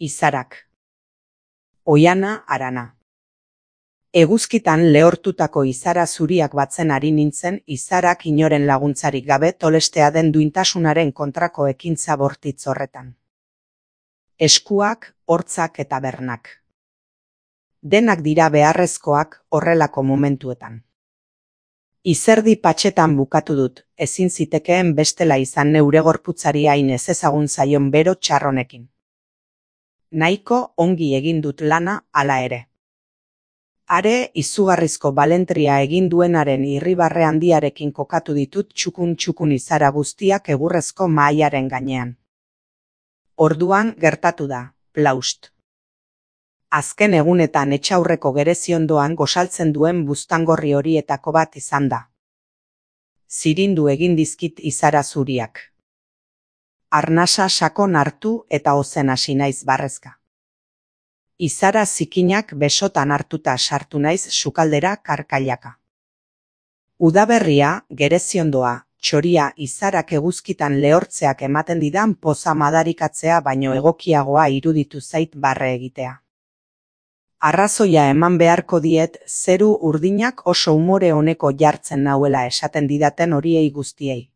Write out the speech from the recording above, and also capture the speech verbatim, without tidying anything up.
Izarak. Oiana Arana. Eguzkitan lehortutako izara zuriak batzen ari nintzen, izarak inoren laguntzarik gabe tolestea den duintasunaren kontrako ekintza bortitz horretan. Eskuak, hortzak eta bernak. Denak dira beharrezkoak horrelako momentuetan. Izerdi patxetan bukatu dut, ezin zitekeen bestela izan neure gorputzari hain ezezagun zaion bero txarronekin. Nahiko ongi egin dut lana hala ere. Are izugarrizko balentria egin duenaren irribarre handiarekin kokatu ditut txukun-txukun izara guztiak egurrezko mahaiaren gainean. Orduan gertatu da, plaust. Azken egunetan etxaurreko gereziondoan gosaltzen duen buztangorri horietako bat izan da. Zirindu egin dizkit izara zuriak. Arnasa sakon hartu eta ozen hasi naiz barrezka. Izara zikinak besotan hartuta sartu naiz sukaldera karkailaka. Udaberria, gereziondoa, txoria izarak eguzkitan lehortzeak ematen didan poza madarikatzea baino egokiagoa iruditu zait barre egitea. Arrazoia eman beharko diet zeru urdinak oso umore oneko jartzen nauela esaten didaten horiei guztiei.